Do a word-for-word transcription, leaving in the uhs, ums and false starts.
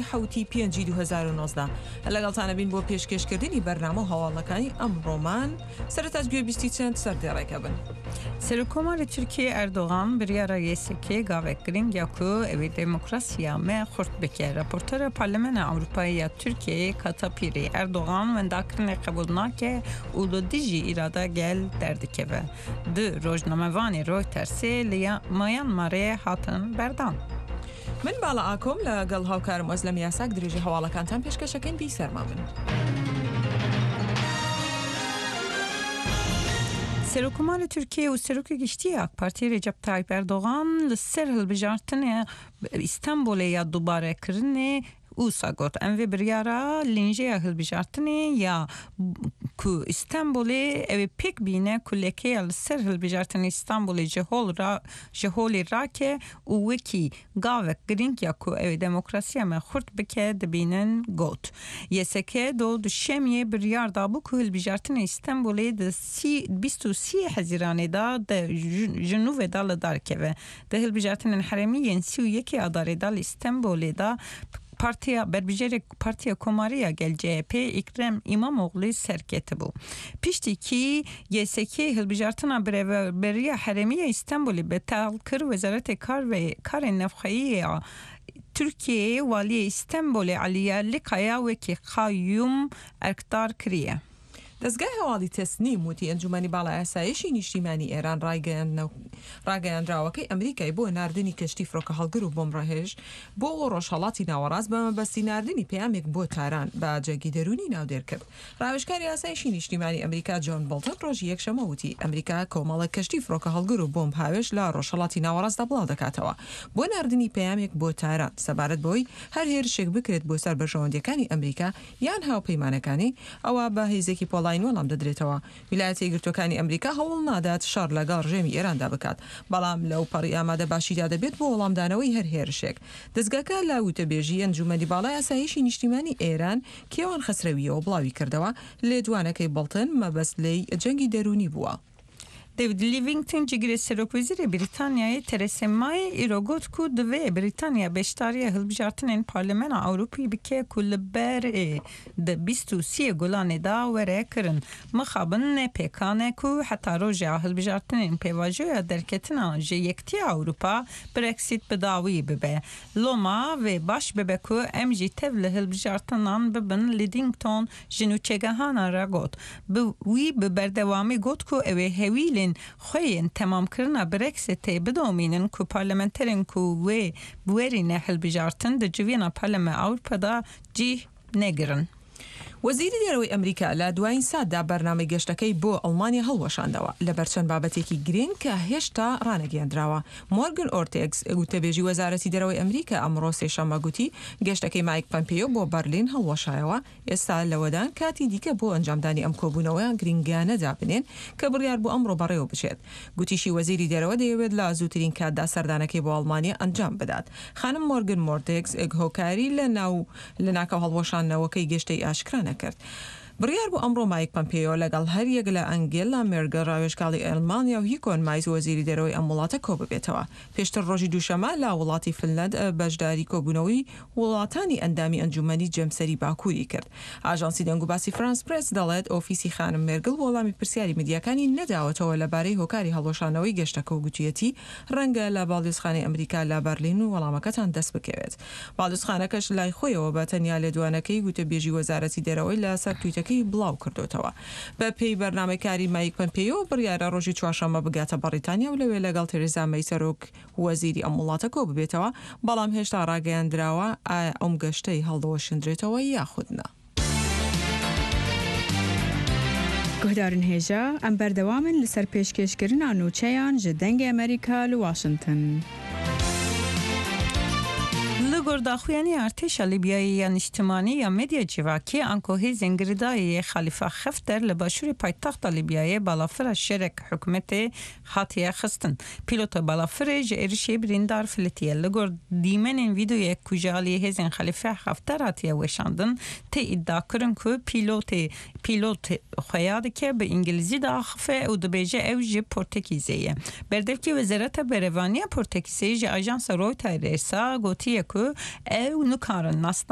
حەوتی پێنجی دوو هەزار و نۆزدە لەگەڵتانە بین بۆ پێشکێشکردنی بەرنامە و هەواڵەکانی ئەمڕۆمان. سەرەتاش گوێبیستی چەند سەردێڕێکە بن. سەرۆککۆماری تورکیە ئەردۆغان بڕیارە Y S K گاوێک گرنگ یا ku ew ê demokrasiya me xurt bike. Raportera Parlamena Ewropayê ya Tirkiyeyê Kata Pîrê Erdogan wendakirinê qebûl nake û li dijî îrada gel derdikeve. Du rojnamevanê Reutersê li Myanmarê hatin berdan. من باڵا ئاکۆم لەگەڵ هاوکارم ئۆزلەم یاساک درێژی هەواڵەکانتان پێشکەشەکەین بی سەرما بن. سەرۆککۆماری Tirkiye û Serokê Giştî ya AK Partiyê Recep Tayyip Erdogan li ser hilbijartinê Îstanbulê ya dubarekirinê wisa got em vê biryara lînjeya hilbijartinê ya ku Îstanbulê ew ê pêk bîne ku lekeya li ser hilbijartinê Îstanbulê ji hol ra ji holê rake û wekî gavek girîng ya ku ew ê demokrasiya me xurt bike dibînin got. Y S K do duşemiyê biryar dabû ku hilbijartinê Îstanbulê di sî bîst û sî Hezîranê da de ji nû ve da li dar keve. Di hilbijartinên herêmî yên sî û yekê Adarê da li Îstanbulê da Partiya berbijerek Partiya Komarî ya Gel C H P Ekrem İmamoğlu serketibû. Piştî kî Y S K hilbijartina birêveberiya herêmî ya Îstanbulê betal kir Wezaretê Kar ve Karên Navxweyî ya Tirkiyeyê Waliyê Îstanbulê Ali Yerlikaya wekî qayyûm erkdar kiriye. دەزگای هەواڵی تەسنیم وتی ئەنجومەنی باڵای ئاسایشی نیشتیمانی ئێران ڕاگەیاندراوەکەی ئەمریکای بۆ ناردنی کەشتی فڕۆکەهەڵگر و بۆمبڕهێژ بۆ ڕۆژهەڵاتی ناوەڕاست بە مەبەستی ناردنی پەیامێک بۆ تاران بە جەنگی دەروونی ناودێر کرد. ڕاوێژکاری ئاسایشی نیشتیمانی ئەمریکا جۆن بۆڵتن ڕۆژی یەکشەممە وتی ئەمریکا کۆمەڵێک کەشتی فڕۆکەهەڵگر و بۆمب هاوێژ لە ڕۆژهەڵاتی ناوەڕاستدا بڵاودەکاتەوە بۆ ناردنی پەیامێک بۆ تاران سەبارەت بەوەی هەر هێرشێک بکرێت بۆ سەر بەرژەوەندییەکانی ئەمریکا یان هاوپەیمانەکانی ئەوا بە هێزێکی پۆڵاین وەڵام دەدرێتەوە. ویلایەتە یەکگرتووەکانی ئەمریکا هەوڵ نادات شەڕ لەگەڵ ڕژێمی ئێراندا بکات، بەڵام لەو پەڕی ئامادەباشیدا دەبێت بۆ وەڵامدانەوەی هەر هێرشێک. دەزگاکە لە وتەبێژی ئەنجومەنی باڵای ئاسایشی نیشتیمانی ئێران کێوان خەسرەوییەوە بڵاویکردەوە، لێدوانەکەی بۆڵتن مەبەست لێی جەنگی دەروونی بووە. David Lidington cîgirê Serokwezîrê Brîtanyayê Theresa May îro got ku divê Brîtanya beşdariya hilbijartinên Parlamena Ewropî bike ku li ber ê di bîst û siyê Gulanê da were kirin. Mixabin ne pêkan e ku heta roja hilbijartinên pêvajoya derketina ji Yekitiya Ewropa Brexit bi dawî bibe. Loma wê baş bibe ku em jî tev li hilbijartinan bibin Lidington ji nûçegihanan re got. Bi wî bi berdewamî got ku ew ê hewlên xwe yên temamkirina Brexitê bidomînin ku parlamenterên ku wê werîne hilbijartin di civîna Parlamena Ewropa da cih negirin. وەزیری دەرەوەی ئەمریکا لە دوایین ساتدا بەرنامەی گەشتەکەی بۆ ئەڵمانیا هەڵوەشاندەوە لەبەر چەند بابەتێکی گرنگ کە هێشتا ڕانەگەیەندراوە. مۆرگن ئۆرتێگس گوتەبێژی وەزارەتی دەرەوەی ئەمریکا ئەمڕۆ سێشەممە گوتی گەشتەکەی مایک پەمپێیۆ بۆ بەرلین هەڵوەشایەوە، ئێستا لەوەدان کاتی دیکە بۆ ئەنجامدانی ئەم کۆبوونەوە گرنگانە دابنێن کە بڕیار بوو ئەمڕۆ بەڕێوە بچێت. گوتیشی وەزیری دەرەوە دەیەوێت لە زووترین کاتدا سەردانەکەی بۆ ئەڵمانیا ئەنجام بدات. خانم مۆرگن مۆرتێگس هۆکاری لەناو لەناکاو هەڵوەشاندنەوەکەی گەشتەی ئاشکرا نەکرد. بڕیار بوو ئەمڕۆ مایک پەمپێیۆ لەگەڵ هەریەک لە ئەنگێلا مێرگل ڕاوێژکاڵی ئەڵمانیا و هیکۆن مایز وەزیری دەرەوەی ئەم وڵاتە کۆببێتەوە. پێشتر ڕۆژی دووشەممە لە وڵاتی فنلەند بەشداری کۆبوونەوەی وڵاتانی ئەندامی ئەنجومەنی جەمسەری باکووری کرد. ئاژانسی دەنگوباسی فرانس پرێس دەڵێت ئۆفیسی خانم مێرگل وەڵامی پرسیاری میدیاکانی نەداوەتەوە لەبارەی هۆکاری هەڵوەشانەوەی گەشتەکە و گوتویەتی ڕەنگە لە باڵیۆزخانەی ئەمریکا لە بەرلین وەڵامەکەتان دەست بکەوێت. باڵیۆزخانەکەش لای خۆیەوە بە تەنیا لێدوانەکەی گوتەبێژی وەزارەتی دەرەوەی لەسەر تویتەکەی بڵاو کردوتەوە. بە پێی بەرنامەی کاری مایک پەمپێیۆ بڕیارە ڕۆژی چوارشەممە بگاتە بەڕیتانیا و لەوێ لەگەڵ تێرێزا مەی سەرۆک وەزیری ئەم وڵاتە کۆ ببێتەوە، بەڵام هێشتا ڕاگەیاندراوە ئایا ئەم گەشتەی هەڵدەوەشێندرێتەوە یاخود نا. Guhdarên hêja em berdewam in li ser pêşkêşkirina nûçeyan ji Dengê Amerîka li Washington. Li gor daxuyaniya Artêşa Lîbyayê ya Niştimanî ya Medya Civakî anku hêzên girêdayî yê Xelîfa Xefter li başûrê paytexta Lîbyayê balafira şerek hikûmetê hatiye xistin. Pîlota balafirê ji êrişê birîndar filitiye. Li gor dîmenên vîdeoyek ku ji aliyê hêzên Xelîfe Xefter hatiye weşandin tê îdiakirin ku pîlotê pîlot xuya dike bi îngilîzî diaxife û dibêje ew ji Portekîzê ye. Berdevkê Wezareta Berevaniya Portekîzê ji ajansa Reutersê gotiye ku Ew nikarin